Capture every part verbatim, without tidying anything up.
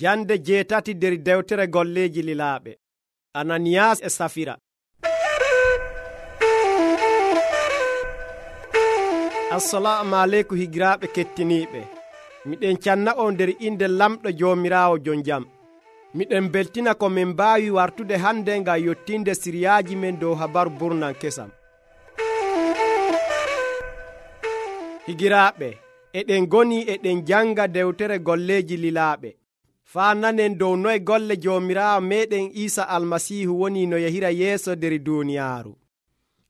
Jande jeetati der dewtere golleeji lilaaɓe. Ananiyaas e Safira. Assalamu aleykum higiraaɓe kettiniiɓe. Miɗen canna on nder inde lamɗo Joomiraawo jon jam. Miɗen beltina ko min mbaawi wartude hande ngam yottinde siriyaaji men dow habaru burnan kesam. Higiraaɓe, eɗen goni eɗen janga dewtere golleeji lilaaɓe. Faa nanen dow noye golle Joomiraawo meɗen Iisa Almasiihu woni no yahira yeeso nder duuniyaaru.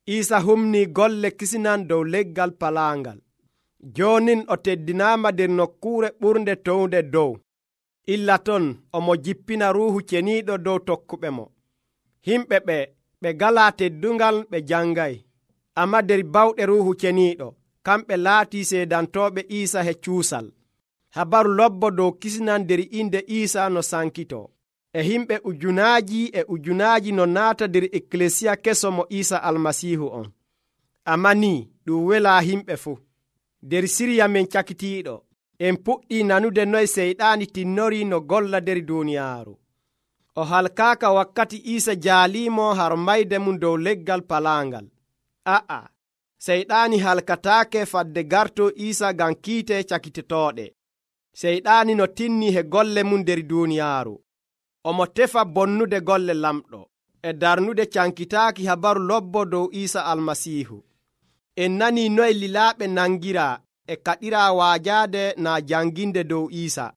Iisa humni golle kisinan dow leggal palaangal. Joonin o teddinaama nder nokkuure ɓurnde townde dow. Illa ton omo jippina ruuhu ceniiɗo dow tokkuɓe mo. Himɓe ɓe ɓe galaa teddungal ɓe jangay. Amma nder bawɗe ruuhu ceniiɗo kamɓe laatii seedantooɓe Iisa he cuusal. Habaru lobbo dow kisinan nder inde Iisa no sankitoo. E himɓe ujunaaji e ujunaaji no naata nder ekkilesiya keso mo Iisa Almasiihu on. Amma ni ɗum welaa himɓe fuu. Nder siriya men cakitiiɗo en puɗɗii nanude noye seyɗaani tinnorii no golla nder duuniyaaru. O halkaaka wakkati Iisa jaaliimo har mayde mum dow leggal palaangal. A'a, seyɗaani halkataake fadde gartoo Iisa ngam kiite cakitetooɗe. Seyɗaani no tinnii he golle mum nder duuniyaaru. Omo tefa bonnude golle lamɗo e darnude cankitaaki habaru lobbo dow Iisa Almasiihu. En nanii noye lilaaɓe nangiraa e kaɗiraa waajaade naa janginde dow Iisa.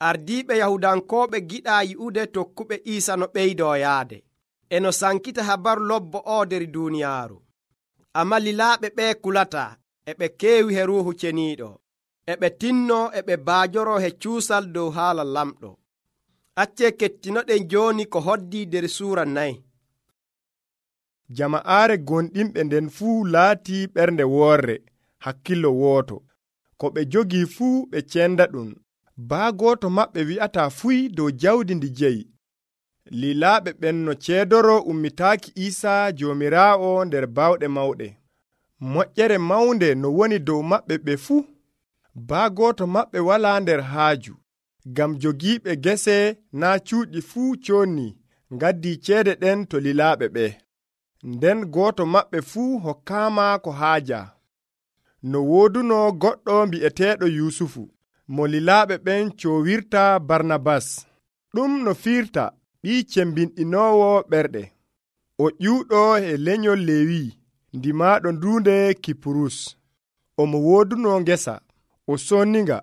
Ardiiɓe Yahudankooɓe giɗaa yi'ude tokkuɓe Iisa no ɓeydoo yaade. E no sankita habaru lobbo oo nder duuniyaaru. Amma lilaaɓe ɓee kulataa e ɓe keewi he ruuhu ceniiɗo. E ɓe tinnoo e ɓe baajoroo he cuusal dow haala lamɗo. Accee kettinoɗen jooni ko hoddii nder suura nayi. Jama'aare gonɗinɓe nden fuu laatii ɓernde woorre, hakkillo wooto. Ko ɓe jogii fuu ɓe cenda ɗum. Baa gooto maɓɓe wi'ataa fuy dow jawdi ndi jeyi. Lilaaɓe ɓen no ceedoro ummitaaki Iisaa Joomiraawo nder bawɗe mawɗe. Moƴƴere mawnde no woni dow maɓɓe ɓe fuu. Baa gooto maɓɓe walaa nder haaju. Ngam jogiiɓe gese naa cuuɗi fuu coonnii ngaddii ceede ɗen to lilaaɓe ɓe. Nden gooto maɓɓe fuu hokkaama ko haaja. No wooduno goɗɗo mbi'eteeɗo Yuusufu, mo lilaaɓe ɓen coowirta Barnabas. Ɗum no fiirta ɓii cembinɗinoowo ɓerɗe. O ƴuuɗo e lenyol Leewi, ndimaaɗo nduunde Kipurus. Omo wooduno ngesa, o sonninga,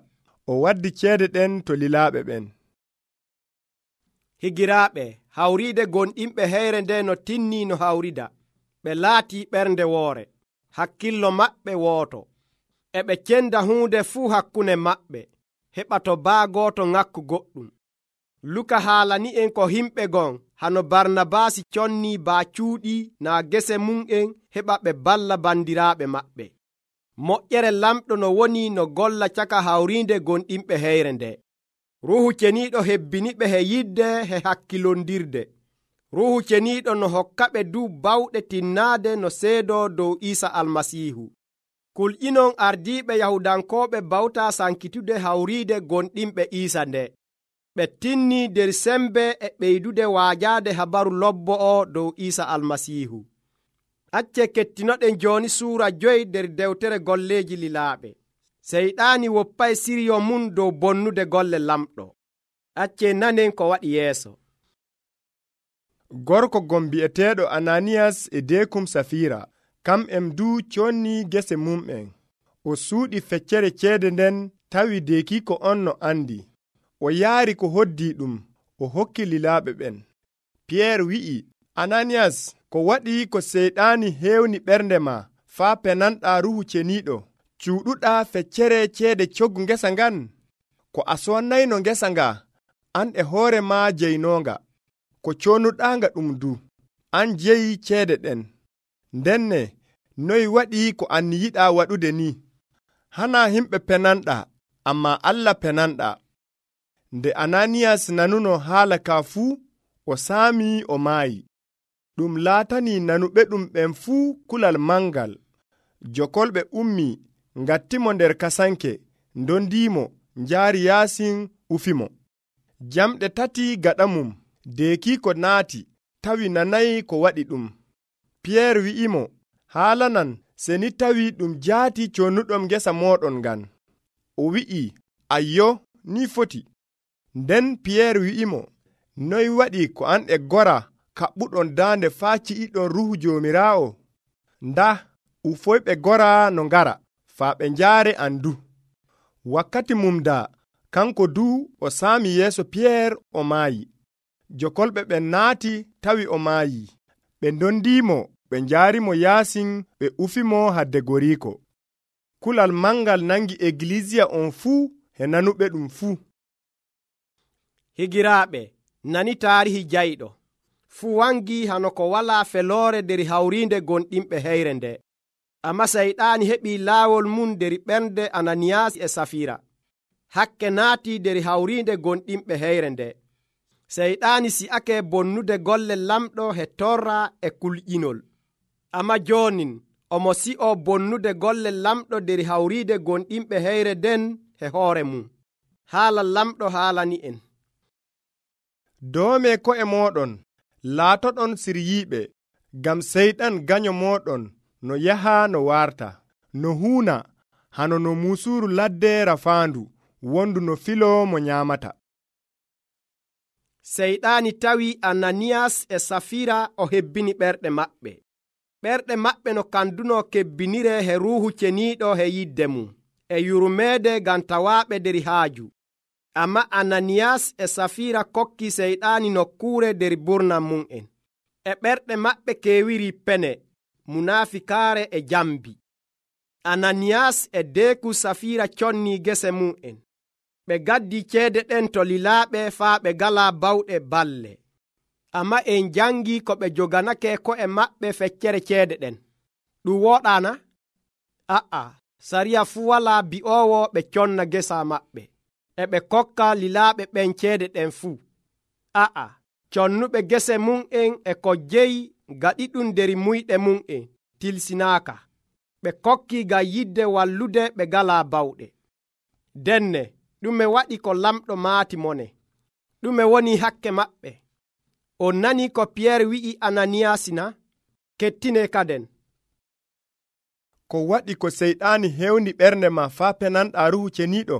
o waddi ceede ɗen to lilaaɓe ɓen. Higiraaɓe, hawriide gonɗinɓe heyre nde no tinnii no hawrida. Ɓe laatii ɓernde woore, hakkillo maɓɓe wooto. E ɓe cenda huunde fuu hakkunde maɓɓe, heɓa to baa gooto ŋakku goɗɗum. Luka haalani'en ko himɓe gon hano Barnabaasi connii baa cuuɗi naa gese mum'en heɓa ɓe balla bandiraaɓe maɓɓe. Moƴƴere lamɗo no woni no golla caka hawriinde gonɗinɓe heyre nde. Ruuhu ceniiɗo hebbiniɓe he yidde he hakkilondirde. Ruuhu ceniiɗo no hokkaɓe du bawɗe tinnaade no seedoo dow Iisa Almasiihu. Kulƴinon ardiiɓe Yahudankooɓe bawtaa sankitude hawriide gonɗinɓe Iisa nde. Ɓe tinnii nder sembe e ɓeydude waajaade habaru lobbo o dow Iisa Almasiihu. Accee kettinoɗen jooni suura joyi nder dewtere golleeji lilaaɓe. Seyɗaani woppay siriyo mum dow bonnude golle lamɗo. Accee nanen ko waɗi yeeso. Gorko gon bi'eteeɗo Ananiyas e deekum Safira, kam'en du connii gese mum'en. O suuɗi feccere ceede nden tawi deekiiko on no andi. O yaari ko hoddii ɗum, o hokki lilaaɓe ɓen. Piyeer wi'i, Ananiyas, ko waɗi ko seyɗaani heewni ɓernde ma faa penanɗaa ruuhu ceniiɗo, cuuɗuɗaa feccere ceede coggu ngesa ngan? Ko a sonnayno ngesa nga, an e hoore ma jeynoonga. Ko coonuɗaanga ɗum du, an jeyi ceede ɗen. Ndenne, noy waɗi ko an yiɗaa waɗude ni? Hana himɓe penanɗaa, amma Allah penanɗaa. Nde Ananiyas nanuno haala ka fuu, o saamii o maayi. Ɗum laatanii nanuɓe ɗum ɓen fuu kulal mangal. Jokolɓe ummi ngattimo nder kasanke, ndondiimo, njaari yaasin ufimo. Jamɗe tati gaɗa mum deekiiko naati tawi nanayi ko waɗi ɗum. Piyeer wi'imo, haalanan seni tawi ɗum jaati connuɗom ngesa mooɗon ngan. O wi'i, ayyo, ni foti. Nden Piyeer wi'imo, noy waɗi ko an e gora kaɓɓuɗon daande faa ci'iɗon Ruuhu Joomiraawo? Nda ufoyɓe gora no ngara faa ɓe njaare an du. Wakkati mum daa kanko du o saami yeeso Piyeer o maayi. Jokolɓe ɓen naati tawi o maayi. Ɓe ndondiimo ɓe njaarimo yaasin ɓe ufimo hadde goriiko. Kulal mangal nangi egiliziya on fuu e nanuɓe ɗum fuu. Higiraaɓe nani taarihi jayɗo fuu wangi hano ko walaa feloore der hawriinde gonɗinɓe heyre nde. Amma Sayɗaani heɓii laawol mum der ɓernde Ananiyaas e Safiira. Hakke naati der hawriinde gonɗinɓe heyre nde. Sayɗaani si'ake bonnude golle lamɗo he torra e kulƴinol. Amma joonin omo si'o bonnude golle lamɗo der hawriide gonɗinɓe heyre den he hoore mum. Haala lamɗo haalani en. Doome ko'e mooɗon laatoɗon siryiiɓe, ngam Seyɗan ganyo mooɗon no yaha no warta, no huuna hano no muusuuru ladde rafaandu, wondu no filo mo nyaamata. Seyɗaani tawi Ananiyaas e Safiira o hebbini ɓerɗe maɓɓe. Ɓerɗe maɓɓe no kanduno kebbinire he Ruuhu Ceniiɗo he yidde mum, e yurmeede ngam tawaaɓe der haaju. Amma Ananiyaas e Safiira kokki Seyɗaani nokkuure der burnam mum'en. E ɓerɗe maɓɓe keewiri pene, munaafikaare e jambi. Ananiyaas e deeku Safiira connii gese mum'en. Ɓe gaddi ceede ɗen to lilaaɓe faa ɓe galaa bawɗe balle. Amma en jangi ko ɓe joganake ko'e maɓɓe feccere ceede ɗen. Ɗum woɗaana? A'a, sariya fuu walaa bi'oowo ɓe conna gesa maɓɓe. E ɓe kokka lilaaɓe ɓen ceede ɗen fuu. A'a, connuɓe gese mum'en e ko jeyi gaɗi ɗum der muyɗe mum'en tilsinaaka. Ɓe kokki ngam yidde wallude ɓe galaa bawɗe. Denne ɗume waɗi ko lamɗo maati mone? Ɗume woni hakke maɓɓe? On nani ko Piyeer wi'i Ananiyaas na? Kettine kaden. Ko waɗi ko Seyɗaani hewni ɓernde ma faa penanɗaa Ruuhu Ceniiɗo?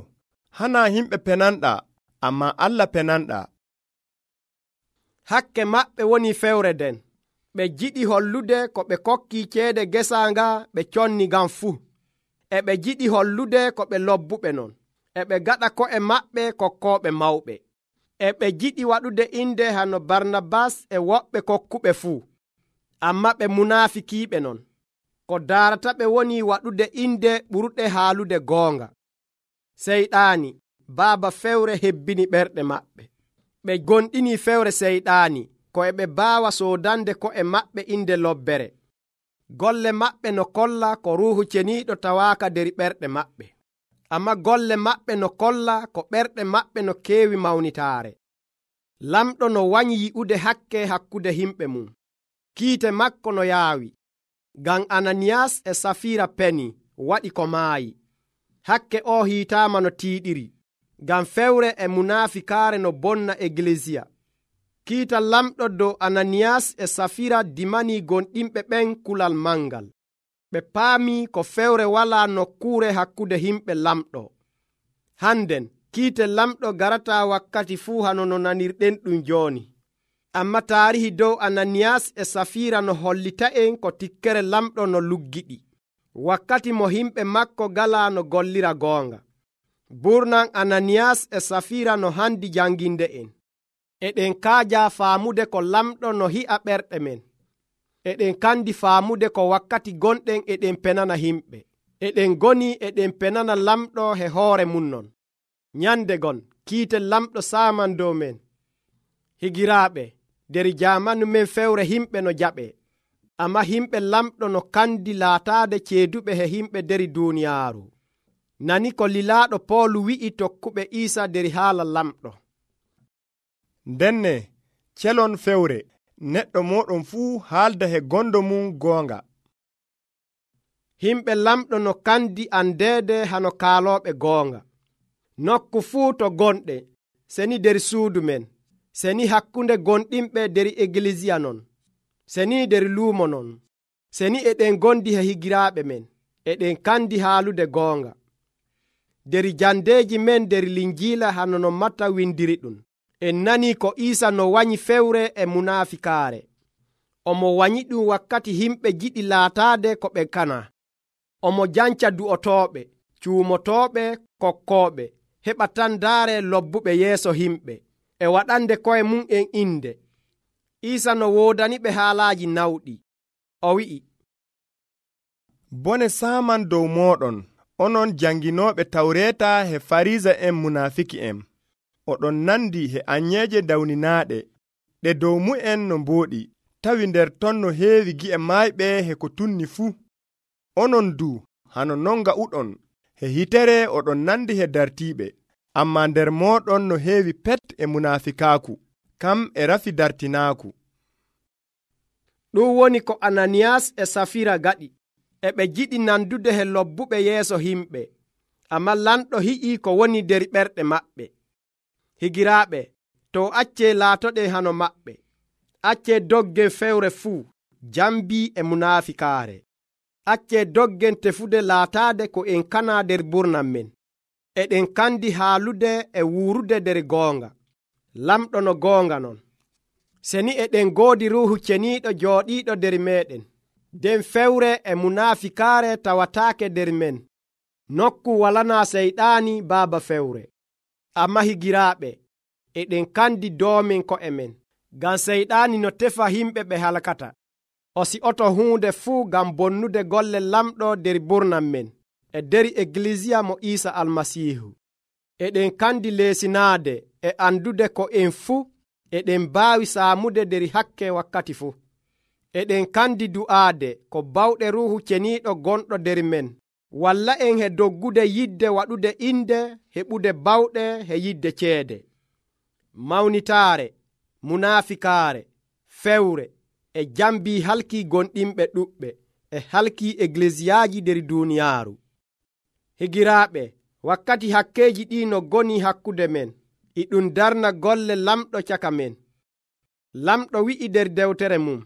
Hana himɓe penanɗaa, amma Allah penanɗaa. Hakke maɓɓe woni fewre den. Ɓe jiɗi hollude ko ɓe kokki ceede gesa nga ɓe conni ngam fuu. E ɓe jiɗi hollude ko ɓe lobbuɓe non. E ɓe gaɗa ko'e maɓɓe kokkooɓe mawɓe. E ɓe jiɗi waɗude inde hano Barnabas e woɓɓe kokkuɓe fuu. Amma ɓe munaafikiiɓe non. Ko daarata ɓe woni waɗude inde ɓurɗe haalude goonga. Seyɗaani baaba fewre hebbini ɓerɗe maɓɓe. Ɓe gonɗini fewre Seyɗaani ko e ɓe baawa soodande ko'e maɓɓe inde lobbere. Golle maɓɓe no kolla ko Ruuhu Ceniiɗo tawaaka der ɓerɗe maɓɓe. Amma golle maɓɓe no kolla ko ɓerɗe maɓɓe no keewi mawnitaare. Lamɗo no wanyi yi'ude hakke hakkude himɓe mum. Kiite makko no yaawi. Ngam Ananiyaas e Safiira peni waɗi ko maayi. Hakke o hiitaama no tiiɗiri. Ngam fewre e munaafikaare no bonna egiliziya. Kiita lamɗo dow Ananiyaas e Safiira dimanii gonɗinɓe ɓen kulal mangal. Ɓe paami ko fewre walaa nokkuure hakkude himɓe lamɗo. Hannden kiite lamɗo garataa wakkati fuu hano no nanirɗen ɗum jooni. Amma taarihi dow Ananiyaas e Safiira no hollita'en ko tikkere lamɗo no luggiɗi. Wakkati mo himɓe makko galaa no gollira goonga. Burnan Ananiyaas e Safiira no handi janginde en. Eɗen kaaja faamude ko lamɗo no hi'a ɓerɗe men. Eɗen kandi faamude ko wakkati gonɗen eɗen penana himɓe. Eɗen goni eɗen penana lamɗo he hoore mum non. Nyande gon kiite lamɗo saaman dow men. Higiraaɓe, der jaamanu men fewre himɓe no jaɓe. Amma himɓe lamɗo no kandi laataade ceeduɓe he himɓe der duuniyaaru. Nani ko lilaaɗo Poolu wi'i tokkuɓe Iisa der haala lamɗo. Ndenne celon fewre neɗɗo moɗon fuu haalda he gondo mum goonga. Himɓe lamɗo no kandi andeede hano kaalooɓe goonga. Nokku fuu to gonɗe seni der suudu men, seni hakkunde gonɗinɓe der eglisiya non, seni der luumo non, seni eɗen gondi he higiraaɓe men, eɗen kandi haalude goonga. Der jandeeji men der linjiila hano no Matta windiri ɗum, en nani ko Iisa no wanyi fewre e munafikaare. Omo wanyi ɗum wakkati himɓe jiɗi laataade ko ɓe kana. Omo janca du'otooɓe, cuumotooɓe, kokkooɓe, heɓa tan daare lobbuɓe yeeso himɓe, e waɗande koye mum en inde. Iisa no woodaniɓe haalaaji nawɗi. O wi'i, bone saaman dow mooɗon, onon janginooɓe tawreeta he Farisa en munafiki en. Oɗon nandi he anyeeje dawninaaɗe, ɗe dow mu'en no mbooɗi, tawi nder ton no heewi gi'e maayɓe he ko tunni fuu. Onon du hano non nga'uɗon he hitere oɗon nandi he dartiiɓe, amma nder mooɗon no heewi pet e munafikaaku, kam e rafi dartinaaku. Ɗum woni ko Ananiyas e Safira gaɗi. E ɓe jiɗi nandude he lobbuɓe yeeso himɓe, amma lamɗo hiƴi ko woni der ɓerɗe maɓɓe. Higiraaɓe, to acce laatoɗen hano maɓɓe. Acce doggen fewre fuu, jambi e munafikaare. Acce doggen tefude laataade ko en kana der burnam men. Eɗen kandi haalude e wuurude der goonga. Lamɗo no goonga non. Seni eɗen goodi Ruuhu Ceniiɗo jooɗiiɗo der meeɗen, den fewre e munafikaare tawataake der men. Nokku walanaa seyɗaani baaba fewre. Amma higiraaɓe, eɗen kandi doomen ko'e men, ngam seyɗaani no tefa himɓe ɓe halkata. O si'oto huunde fuu ngam bonnude golle lamɗo der burnam men e der eglisiya mo Iisa Almasiihu. Eɗen kandi leesinaade e andude ko en fuu eɗen mbaawi saamude der hakke wakkati fuu. Eɗen kandi du'aade ko bawɗe Ruuhu Ceniiɗo gonɗo der men walla en he doggude yidde waɗude inde heɓude bawɗe he yidde ceede. Mawnitaare, munafikaare, fewre e jambi halki gonɗinɓe ɗuɓɓe e halki eglesiyaaji der duuniyaaru. Higiraaɓe, wakkati hakkeeji ɗi no goni hakkude men, e ɗum darna golle lamɗo caka men. Lamɗo wi'i der dewtere mum,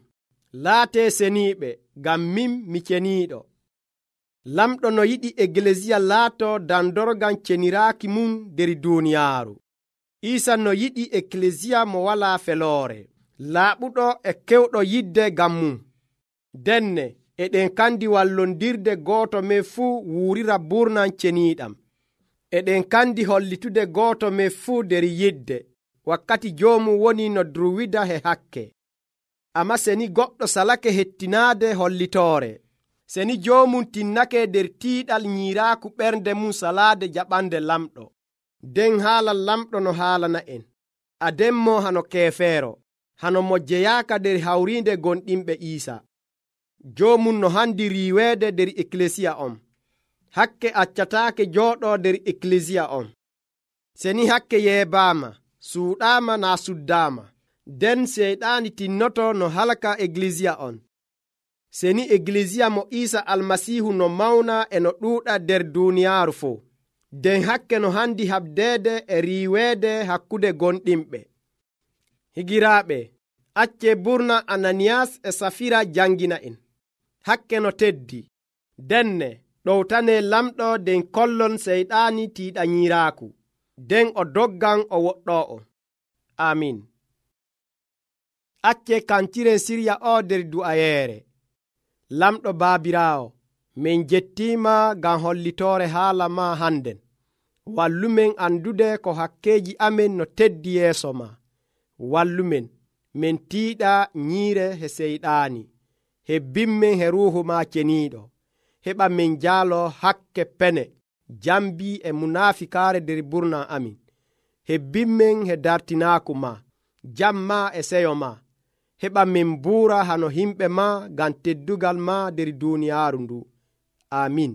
laatee seniiɓe, ngam min mi ceniiɗo. Lamɗo no yiɗi eglesiya laato dandorgan ceniraaki mum der duuniyaaru. Iisa no yiɗi eklesiya mo walaa feloore, laaɓuɗo e kewɗo yidde ngam mum. Denne eɗen kandi wallondirde gooto men fuu wuurira burnan ceniiɗam. Eɗen kandi hollitude gooto men fuu der yidde, wakkati joomum woni no druwida he hakke. Amma seni goɗɗo salake hettinaade hollitoore, seni joomum tinnake der tiiɗal ñiiraaku ɓernde mum salaade jaɓande lamɗo, den haala lamɗo no haalana en, ademmo hano keefeero, hano mo jeyaaka der hawriinde gonɗinɓe Iisa. Joomum no handi riiweede der eklesiya on, hakke accataake jooɗoo der eklesiya on. Seni hakke yeebaama, suuɗaama naa suddaama, den seyɗaani tinnoto no halka eglesiya on. Seni eglesiya mo Iisa Almasiihu no mawna e no ɗuuɗa der duuniyaaru fuu, den hakke no handi habdeede e riiweede hakkude gonɗinɓe. Higiraaɓe, acce burna Ananiyas e Safira jangina en. Hakke no teddi, denne ɗowtane lamɗo den kollon seyɗaani tiiɗañiiraaku, den o doggan o woɗɗoo. Amin. Acce kantiren sirya o der du'ayeere. Lamɗo baabiraawo, min jettiima ngam hollitoore haala ma hannden. Wallumen andude ko hakkeeji amen no teddi yeeso ma. Wallumen min tiiɗa ñiire he seyɗaani. Hebbinmen he ruuhu ma ceniiɗo. Heɓa min jaalo hakke pene, jambi e munafikaare der burna amin. Hebbinmen he dartinaaku ma, jamma e seyo ma. Heɓa min buura hano himɓe ma ngam teddugal ma der duuniyaaru ndu. Amin.